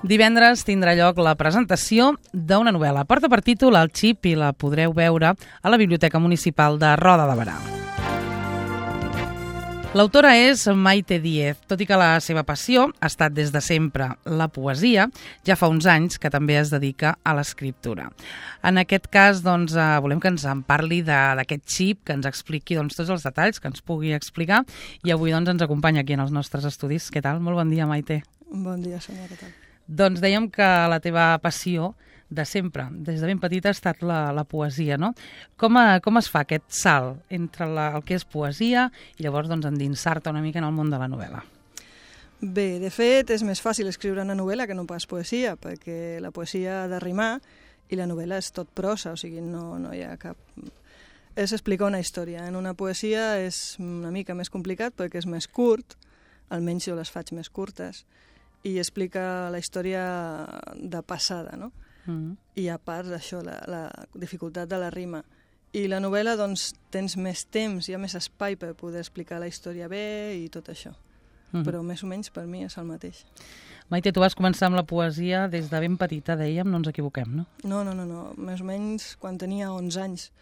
Divendres tindrà lloc la presentació d'una novel·la. Porta per títol El Xip i la podreu veure a la Biblioteca Municipal de Roda de Berà. L'autora és Maite Díez, tot i que la seva passió ha estat des de sempre la poesia, ja fa uns anys que també es dedica a l'escriptura. En aquest cas, volem que ens en parli d'aquest xip, que ens expliqui tots els detalls, que ens pugui explicar, i avui ens acompanya aquí en els nostres estudis. Què tal? Molt bon dia, Maite. Bon dia, Sònia, què tal? Doncs dèiem que la teva passió de sempre, des de ben petita, ha estat la poesia, no? Com es fa aquest salt entre el que és poesia i llavors endinsar-te una mica en el món de la novel·la? Bé, de fet, és més fàcil escriure una novel·la que no pas poesia, perquè la poesia ha de rimar i la novel·la és tot prosa, o sigui, no hi ha cap... És explicar una història. En una poesia és una mica més complicat perquè és més curt, almenys jo les faig més curtes, i explica la història de passada, no? I a part d'això, la dificultat de la rima. I la novel·la, tens més temps, hi ha més espai per poder explicar la història bé i tot això. Però més o menys per mi és el mateix. Maite, tu vas començar amb la poesia des de ben petita, dèiem, no ens equivoquem, no? No. Més o menys quan tenia 11 anys.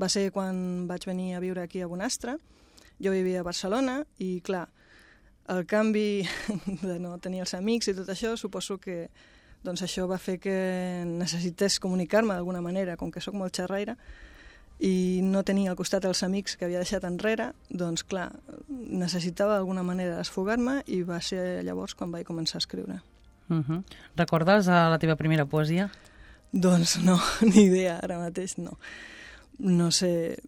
Va ser quan vaig venir a viure aquí a Bonastre. Jo vivia a Barcelona i, clar, el canvi de no tenir els amics i tot això, suposo que això va fer que necessités comunicar-me d'alguna manera, com que sóc molt xerraire, i no tenia al costat els amics que havia deixat enrere, doncs clar, necessitava d'alguna manera desfogar-me i va ser llavors quan vaig començar a escriure. Recordes la teva primera poesia? Doncs no, ni idea, ara mateix no. No sé...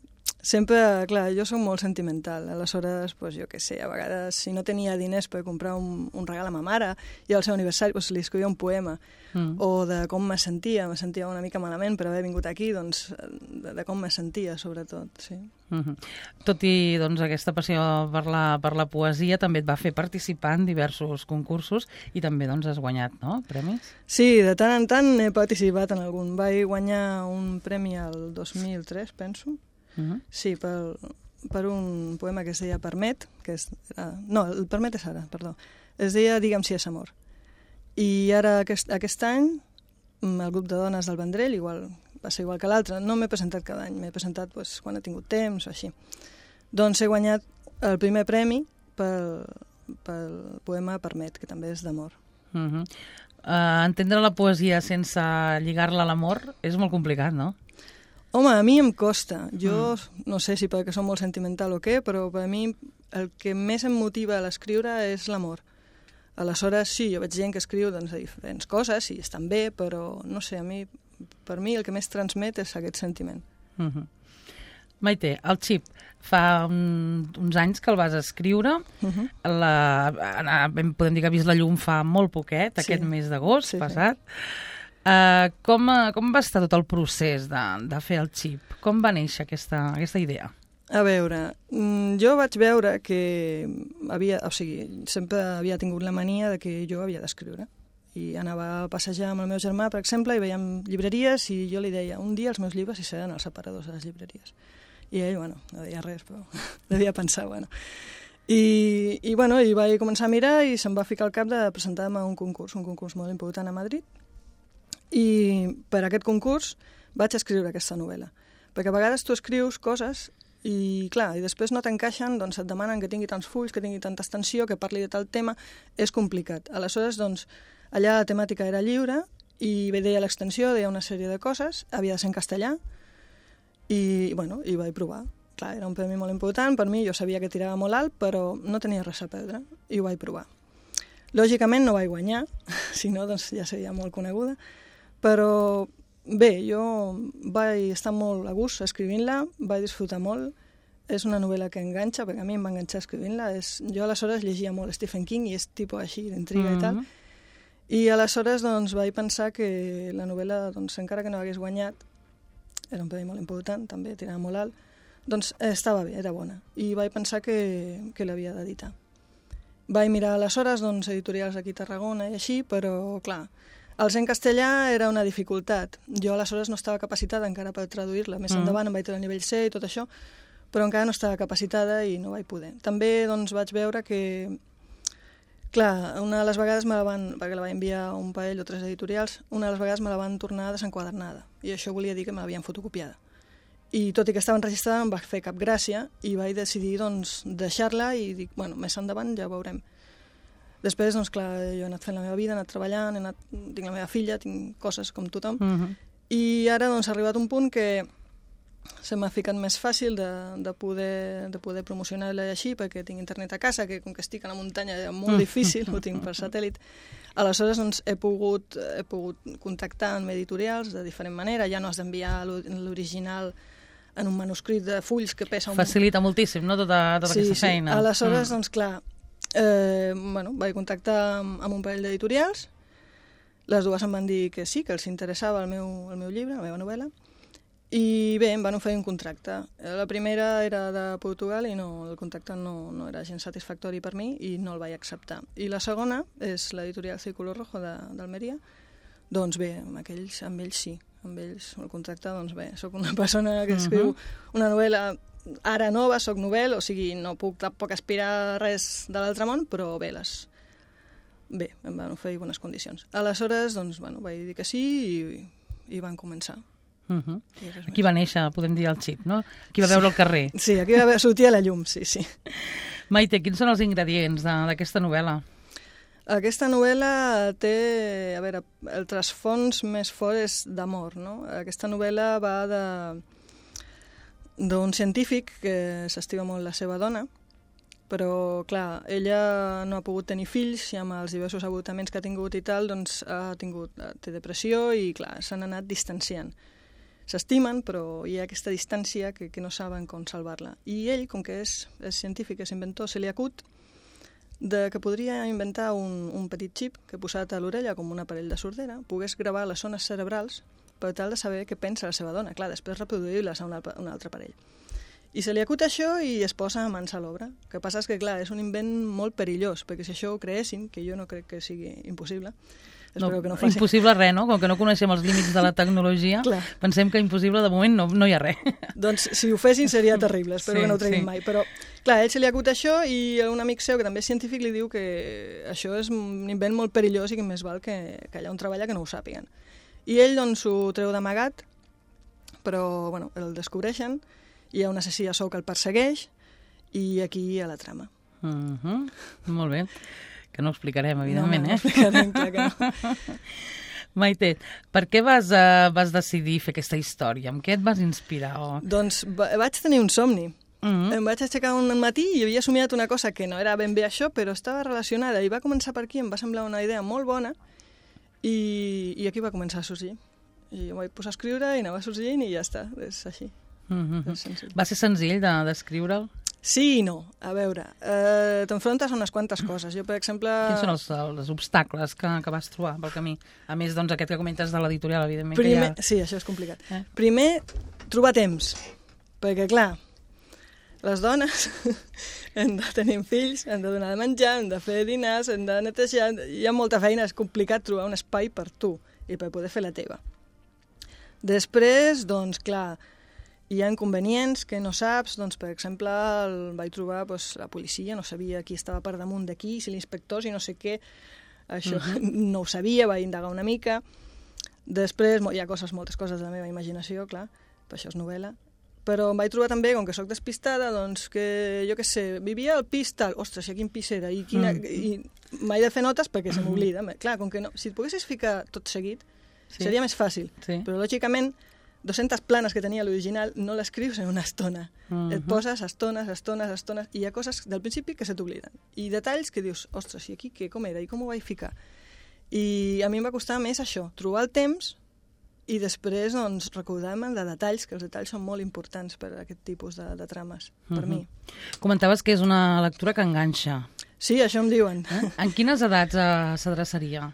Sempre, clar, jo soc molt sentimental, aleshores, jo què sé, a vegades, si no tenia diners per comprar un regal a ma mare i al seu aniversari li escrivia un poema, o de com me sentia una mica malament per haver vingut aquí, de com me sentia, sobretot, sí. Tot i aquesta passió per la poesia també et va fer participar en diversos concursos i també has guanyat, no?, premis? Sí, de tant en tant he participat en algun. Vaig guanyar un premi el 2003, penso. Sí, per un poema que es deia Permet, no, el Permet és ara, perdó. Es deia Digue'm si és amor. I ara, aquest any, el grup de dones del Vendrell va ser igual que l'altre. No m'he presentat cada any, m'he presentat quan he tingut temps o així. Doncs he guanyat el primer premi pel poema Permet, que també és d'amor. Entendre la poesia sense lligar-la a l'amor és molt complicat, no? Home, a mi em costa. Jo no sé si perquè som molt sentimental o què, però per mi el que més em motiva a l'escriure és l'amor. Aleshores, sí, jo veig gent que escriu de diferents coses i estan bé, però no sé, per mi el que més transmet és aquest sentiment. Maite, el Xip, fa uns anys que el vas escriure, podem dir que ha vist la llum fa molt poquet, aquest mes d'agost passat. Com va estar tot el procés de fer el Xip? Com va néixer aquesta idea? A veure, jo vaig veure que sempre havia tingut la mania de que jo havia d'escriure. I anava a passejar amb el meu germà, per exemple, i veiem llibreries i jo li deia, un dia els meus llibres hi seran als aparadors de les llibreries. I ell, no deia res, però devia pensar, I vaig començar a mirar i se'm va ficar al cap de presentar-me a un concurs molt important a Madrid. I per aquest concurs vaig escriure aquesta novel·la. Perquè a vegades tu escrius coses i, clar, i després no t'encaixen, et demanen que tingui tants fulls, que tingui tanta extensió, que parli de tal tema, és complicat. Aleshores, allà la temàtica era lliure i deia l'extensió, deia una sèrie de coses, havia de ser en castellà i vaig provar. Clar, era un premi molt important per mi, jo sabia que tirava molt alt, però no tenia res a perdre i ho vaig provar. Lògicament no vaig guanyar, si no ja seria molt coneguda, però bé, jo vaig estar molt a gust escrivint-la, vaig disfrutar molt, és una novel·la que enganxa, perquè a mi em va enganxar escrivint-la, jo aleshores llegia molt Stephen King i és tipus així, d'intriga i tal, i aleshores vaig pensar que la novel·la, encara que no hagués guanyat, era un premi molt important, també tirava molt alt, estava bé, era bona, i vaig pensar que l'havia d'editar. Vaig mirar aleshores editorials aquí a Tarragona i així, però clar, el ser en castellà era una dificultat. Jo aleshores no estava capacitada encara per traduir-la. Més endavant em vaig treure el nivell C i tot això, però encara no estava capacitada i no vaig poder. També vaig veure que Clar, una de les vegades me la van, perquè la vaig enviar a un parell o 3 editorials, una de les vegades me la van tornar desenquadernada, i això volia dir que me l'havien fotocopiada. I tot i que estava enregistrada em va fer cap gràcia i vaig decidir doncs, deixar-la i dic, bueno, més endavant ja ho veurem. Després, doncs clar, jo he anat fent la meva vida, he anat treballant, tinc la meva filla, tinc coses com tothom, i ara doncs, ha arribat un punt que se m'ha ficat més fàcil de poder promocionar-la així, perquè tinc internet a casa, que com que estic a la muntanya és molt difícil, ho tinc per satèl·lit. Aleshores doncs, he pogut contactar amb editorials de diferent manera, ja no has d'enviar l'original en un manuscrit de fulls que pesa un... Facilita moltíssim, no?, tota aquesta feina. Sí, aleshores, doncs clar, vaig contactar amb un parell d'editorials, les dues em van dir que sí, que els interessava el meu llibre, la meva novel·la, i bé, em van oferir un contracte. La primera era de Portugal i el contracte no era gens satisfactori per mi i no el vaig acceptar. I la segona és l'editorial Círculo Rojo d'Almeria. Doncs bé, amb ells sí. Amb ells el contracte, doncs bé, soc una persona que escriu una novel·la ara nova, soc novel, o sigui, no puc tampoc aspirar a res de l'altre món, però bé, em van oferir bones condicions. Aleshores, doncs, bueno, vaig dir que sí i van començar. Aquí va néixer, podem dir, el xip, no? Aquí va veure el carrer. Sí, aquí va sortir a la llum, sí. Maite, quins són els ingredients d'aquesta novel·la? Aquesta novel·la té, a veure, el trasfons més fort és d'amor, no? Aquesta novel·la va d'un científic que s'estima molt la seva dona, però, clar, ella no ha pogut tenir fills i amb els diversos avortaments que ha tingut i tal, doncs té depressió i, clar, s'han anat distanciant. S'estimen, però hi ha aquesta distància que no saben com salvar-la. I ell, com que és científic, és inventor, se li acut que podria inventar un petit xip que posat a l'orella com un aparell de sordera pogués gravar les zones cerebrals per tal de saber què pensa la seva dona. Clar, després reproduir-les a un altre aparell. I se li acut això i es posa mans a l'obra. El que passa és que, clar, és un invent molt perillós, perquè si això ho creessin, que jo no crec que sigui impossible, espero que no faci. Impossible res, no? Com que no coneixem els límits de la tecnologia, pensem que impossible de moment no hi ha res. Doncs si ho fessin seria terrible, espero que no ho treguin mai. Però, clar, ell se li acut això i un amic seu, que també és científic, li diu que això és un invent molt perillós i que més val que allà on treballa que no ho sàpiguen. I ell, doncs, ho treu d'amagat, però, bueno, el descobreixen, hi ha un assassí a sou que el persegueix i aquí hi ha la trama. Molt bé. Que no ho explicarem, evidentment, No ho explicarem, clar que no. Maite, per què vas decidir fer aquesta història? Amb què et vas inspirar? Doncs vaig tenir un somni. Em vaig aixecar un matí i havia somiat una cosa que no era ben bé això, però estava relacionada i va començar per aquí, em va semblar una idea molt bona i aquí va començar a sorgir. I ho vaig posar a escriure i anava sorgint i ja està, és així. Va ser senzill d'escriure'l? Sí i no. A veure, t'enfrontes a unes quantes coses. Jo, per exemple... Quins són els obstacles que vas trobar pel camí? A més, doncs, aquest que comentes de l'editorial, evidentment. Sí, això és complicat. Primer, trobar temps. Perquè, clar, les dones hem de tenir fills, hem de donar de menjar, hem de fer dinars, hem de netejar... Hi ha molta feina, és complicat trobar un espai per tu i per poder fer la teva. Després, doncs, clar, hi ha inconvenients que no saps, doncs, per exemple, el vaig trobar la policia, no sabia qui estava per damunt d'aquí, si l'inspector, si no sé què, això no ho sabia, vaig indagar una mica. Després hi ha moltes coses de la meva imaginació, clar, per això és novel·la, però em vaig trobar també, com que sóc despistada, doncs que, jo què sé, vivia al pis tal, ostres, i a quin pis era, i m'he de fer notes perquè se m'oblida. Clar, com que no, si et poguessis ficar tot seguit, seria més fàcil, però lògicament 200 planes que tenia l'original no l'escrius en una estona. Et poses estones, i hi ha coses del principi que se t'obliden. I detalls que dius, ostres, i aquí què, com era, i com ho vaig ficar? I a mi em va costar més això, trobar el temps i després doncs, recordar-me de detalls, que els detalls són molt importants per a aquest tipus de trames, per mi. Comentaves que és una lectura que enganxa. Sí, això em diuen. En quines edats s'adreçaria?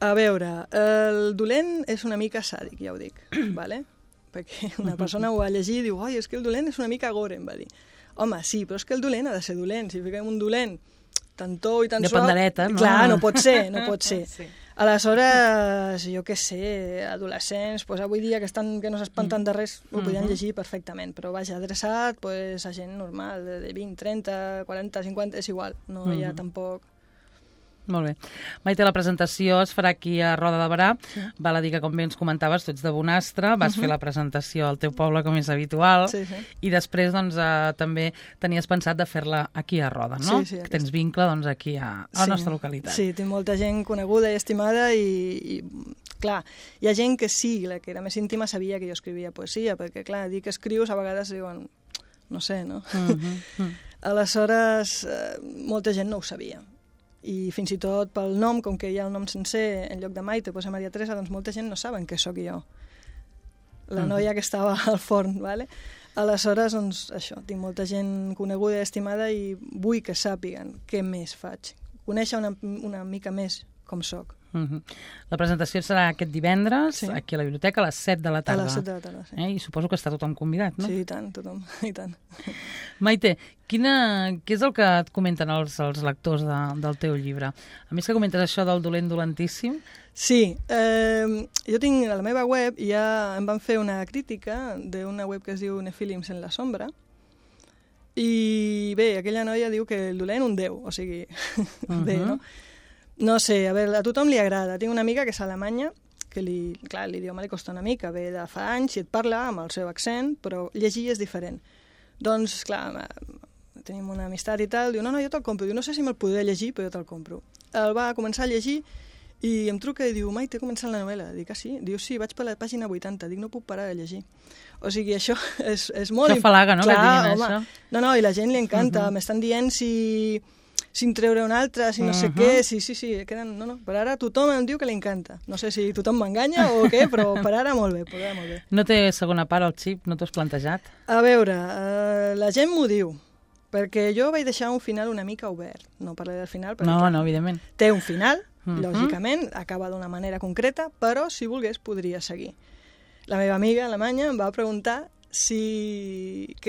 A veure, el dolent és una mica sàdic, ja ho dic, vale? Perquè una persona ho va llegir i diu, oi, és que el dolent és una mica gore, em va dir. Home, sí, però és que el dolent ha de ser dolent. Si fiquem un dolent tan tou i tan suau... De pandereta, no? Clar, no pot ser. Sí. Aleshores, jo què sé, adolescents, doncs avui dia que no s'espanten de res, ho podien llegir perfectament, però vaja, adreçat a gent normal, de 20, 30, 40, 50, és igual, no hi ha tampoc... Molt bé. Maite, la presentació es farà aquí a Roda de Berà. Sí. Val a dir que, com bé ens comentaves, tu ets de Bonastre, vas fer la presentació al teu poble, com és habitual, i després doncs, també tenies pensat de fer-la aquí a Roda, no? Sí, que tens vincle doncs, aquí a la nostra localitat. Sí, tinc molta gent coneguda i estimada i clar, hi ha gent que sí, la que era més íntima sabia que jo escrivia poesia, perquè clar, dir que escrius a vegades diuen, no sé, no? Aleshores, molta gent no ho sabia. I fins i tot pel nom, com que hi ha el nom sencer, en lloc de Maite posa Maria Teresa, doncs molta gent no saben que sóc jo, la noia que estava al forn, ¿vale? Aleshores, doncs això, tinc molta gent coneguda i estimada i vull que sàpiguen què més faig, conèixer una mica més com sóc. La presentació serà aquest divendres, aquí a la biblioteca, a les 7 de la tarda. A les 7 de la tarda, sí. I suposo que està tothom convidat, no? Sí, i tant, tothom, i tant. Maite, què és el que et comenten els lectors del teu llibre? A més que comentes això del dolent dolentíssim. Sí, jo tinc a la meva web, ja em van fer una crítica d'una web que es diu Nefilims en la sombra, i bé, aquella noia diu que el dolent un déu, o sigui, bé, no? No sé, a veure, a tothom li agrada. Tinc una amiga que és alemanya, que clar, l'idioma li costa una mica, ve de fa anys i et parla amb el seu accent, però llegir és diferent. Doncs, clar, tenim una amistat i tal, diu, no, jo te'l compro. Diu, no sé si me'l podré llegir, però jo te'l compro. El va començar a llegir i em truca i diu, Maite, he començat la novel·la. Dic, sí? Diu, sí, vaig per la pàgina 80. Dic, no puc parar de llegir. O sigui, això és molt... Això falaga, no? Clar, que diguin això. No, i la gent li encanta. M'estan dient sin treure un altre, si no sé què, sí, queden... No, per ara tothom em diu que li encanta. No sé si tothom m'enganya o què, però per ara molt bé, No té segona part el xip? No t'ho has plantejat? A veure, la gent m'ho diu, perquè jo vaig deixar un final una mica obert. No parlaré del final, perquè no, evidentment. Té un final, lògicament, acaba d'una manera concreta, però si volgués podria seguir. La meva amiga alemanya em va preguntar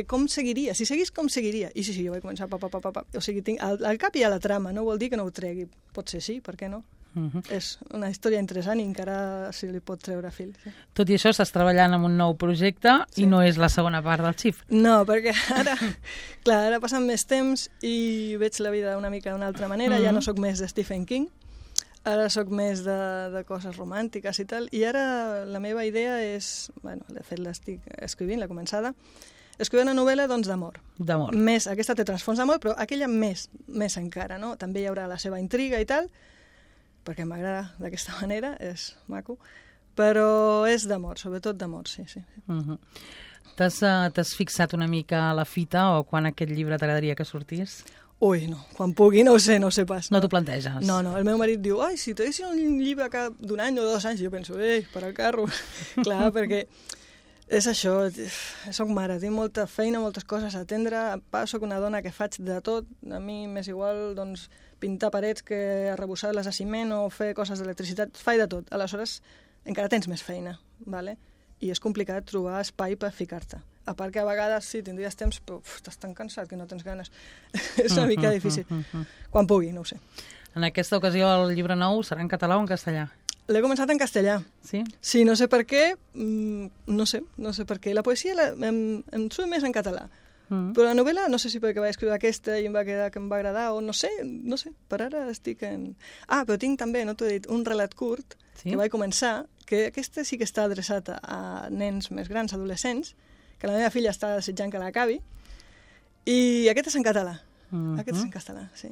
com seguiria, si seguís com seguiria. I sí, jo vaig començar o sigui, tinc al cap hi ha la trama, no vol dir que no ho tregui. Pot ser sí, per què no? És una història interessant i encara se li pot treure fil. Sí. Tot i això, estàs treballant en un nou projecte i no és la segona part del xip. No, perquè ara passen més temps i veig la vida una mica d'una altra manera, ja no sóc més de Stephen King, ara sóc més de coses romàntiques i tal, i ara la meva idea és, bueno, de fet l'estic escrivint, la començada, escriure una novel·la doncs d'amor. D'amor. Aquesta té transfons d'amor, però aquella més encara, no? També hi haurà la seva intriga i tal, perquè m'agrada d'aquesta manera, és maco, però és d'amor, sobretot d'amor, sí. T'has fixat una mica a la fita o quan aquest llibre t'agradaria que sortís? Ui, no, quan pugui, no ho sé pas. No t'ho planteges? No, el meu marit diu, si t'haguessin un llibre d'un any o 2 anys, jo penso, per al carro. Clar, perquè és això, soc mare, tinc molta feina, moltes coses a atendre, soc una dona que faig de tot, a mi m'és igual doncs, pintar parets que arrebossar-les a ciment o fer coses d'electricitat, faig de tot. Aleshores, encara tens més feina, ¿vale? I és complicat trobar espai per ficar-te. A part que a vegades sí, tindries temps, però estàs tan cansat que no tens ganes. És una mica difícil. Quan pugui, no ho sé. En aquesta ocasió el llibre nou serà en català o en castellà? L'he començat en castellà. Sí? Sí, no sé per què, no sé per què. La poesia em surt més en català. Però la novel·la, no sé si perquè vaig escriure aquesta i em va quedar que em va agradar o no sé, per ara estic en... Però tinc també, no t'ho he dit, un relat curt que vaig començar, que aquesta sí que està adreçat a nens més grans, adolescents, que la meva filla està desitjant que l'acabi, i aquest és en català. Aquest és en castellà, sí.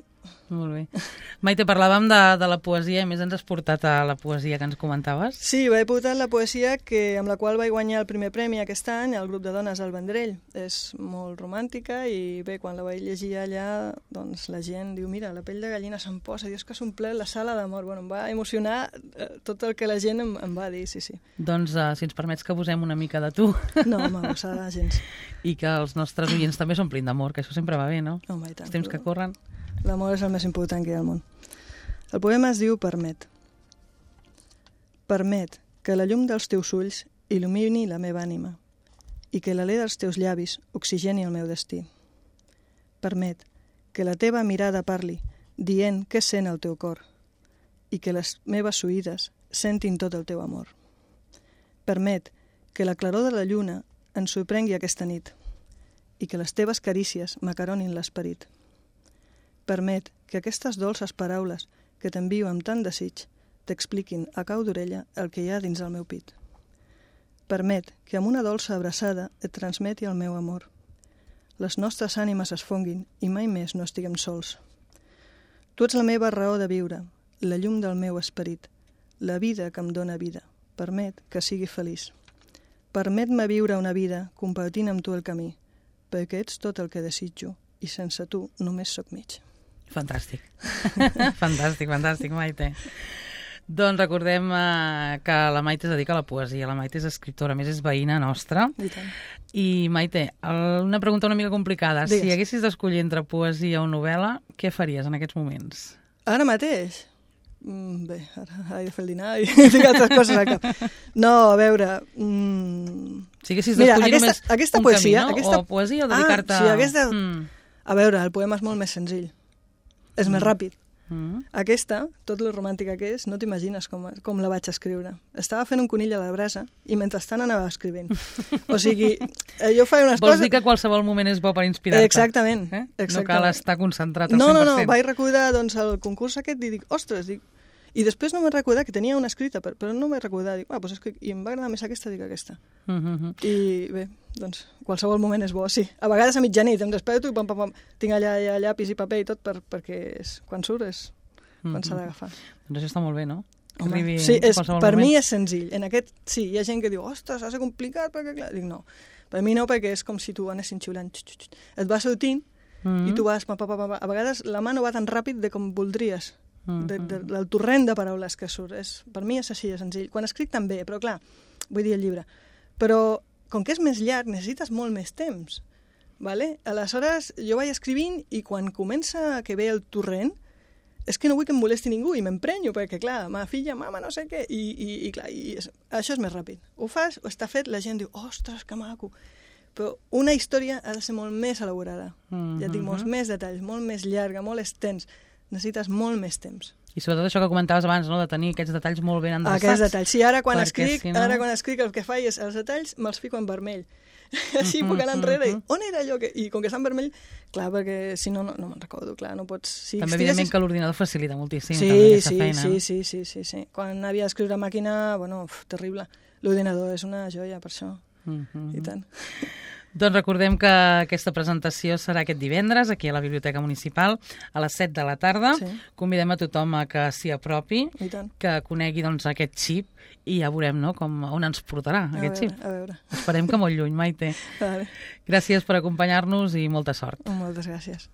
Molt bé. Maite, parlàvem de la poesia, i més ens has portat a la poesia que ens comentaves. Sí, vaig portar la poesia amb la qual vaig guanyar el primer premi aquest any al grup de dones al Vendrell. És molt romàntica i bé, quan la vaig llegir allà, doncs la gent diu, mira, la pell de gallina se'm posa, dius que s'ha omplert la sala d'amor. Bueno, em va emocionar tot el que la gent em va dir, sí. Doncs, si ens permets que posem una mica de tu. No, m'agossada gens. I que els nostres oients també s'omplin d'amor, que això sempre va bé, no? Home, i tant. Els temps que corren. L'amor és el més important que hi ha al món. El poema es diu Permet. Permet que la llum dels teus ulls il·lumini la meva ànima i que l'alè dels teus llavis oxigeni el meu destí. Permet que la teva mirada parli dient què sent el teu cor i que les meves oïdes sentin tot el teu amor. Permet que la claror de la lluna ens sorprengui aquesta nit i que les teves carícies m'acaronin l'esperit. Permet que aquestes dolces paraules que t'envio amb tant desig, t'expliquin a cau d'orella el que hi ha dins el meu pit. Permet que amb una dolça abraçada et transmeti el meu amor. Les nostres ànimes es fonguin i mai més no estiguem sols. Tu ets la meva raó de viure, la llum del meu esperit, la vida que em dóna vida. Permet que sigui feliç. Permet-me viure una vida compartint amb tu el camí, perquè ets tot el que desitjo i sense tu només sóc mig. Fantàstic. fantàstic, Maite. Doncs recordem que la Maite es dedica a la poesia, la Maite és escriptora, a més és veïna nostra. I tant. I Maite, una pregunta una mica complicada. Digues. Si haguessis d'escollir entre poesia o novel·la, què faries en aquests moments? Ara mateix? Bé, ara he de fer el dinar i tinc altres coses al cap. No, a veure... Si haguessis d'escollir només aquesta un poesia, camí, no? O poesia o dedicar-te... Sí, aquesta... A veure, el poema és molt més senzill. És més ràpid. Aquesta, tot lo romàntica que és, no t'imagines com la vaig escriure. Estava fent un conill a la brasa i mentrestant anava escrivint. O sigui, jo faig unes coses... Vols dir que qualsevol moment és bo per inspirar-te? Exactament. No cal estar concentrat al 100%. No, vaig recordar el concurs aquest i dic, ostres, i després no m'he recordat que tenia una escrita, però no m'he recordat. Dic, doncs i em va agradar més aquesta, dic aquesta. I bé, doncs qualsevol moment és bo, sí. A vegades a mitjanit em desperto i pam, tinc allà llapis i paper i tot perquè quan surt és quan s'ha d'agafar. Doncs això està molt bé, no? Sí, per mi és senzill. En aquest, sí, hi ha gent que diu, ostres, ha de ser complicat, perquè clar... Dic, no. Per mi no, perquè és com si tu anessin xiulant. Et va sortint i tu vas... A vegades la mà no va tan ràpid com voldries. Del torrent de paraules que surt. Per mi és així de senzill. Quan escric també, però clar, vull dir el llibre. Però com que és més llarg, necessites molt més temps. Vale? Aleshores, jo vaig escrivint i quan comença que ve el torrent, és que no vull que em molesti ningú i m'emprenyo, perquè clar, ma filla, mama, no sé què, i clar, això és més ràpid. Ho fas, o està fet, la gent diu, ostres, que maco. Però una història ha de ser molt més elaborada. Ja et dic, molts més detalls, molt més llarga, molt extens. Necessites molt més temps. I sobretot això que comentaves abans, no?, de tenir aquests detalls molt ben endreçats. Aquests detalls. Sí, ara quan escric el que faig és els detalls me'ls fico en vermell. Així puc anar enrere i on era allò? I com que està en vermell, clar, perquè si no me'n recordo, clar, no pots... També evidentment que l'ordinador facilita moltíssim aquesta feina. Sí. Quan havia d'escriure a màquina, bueno, terrible. L'ordinador és una joia per això. I tant. Doncs recordem que aquesta presentació serà aquest divendres aquí a la Biblioteca Municipal a les 7 de la tarda. Sí. Convidem a tothom a que s'hi apropi, que conegui aquest xip i ja veurem, no?, on ens portarà aquest xip. A veure. Esperem que molt lluny, Maite. Vale. Gràcies per acompanyar-nos i molta sort. Moltes gràcies.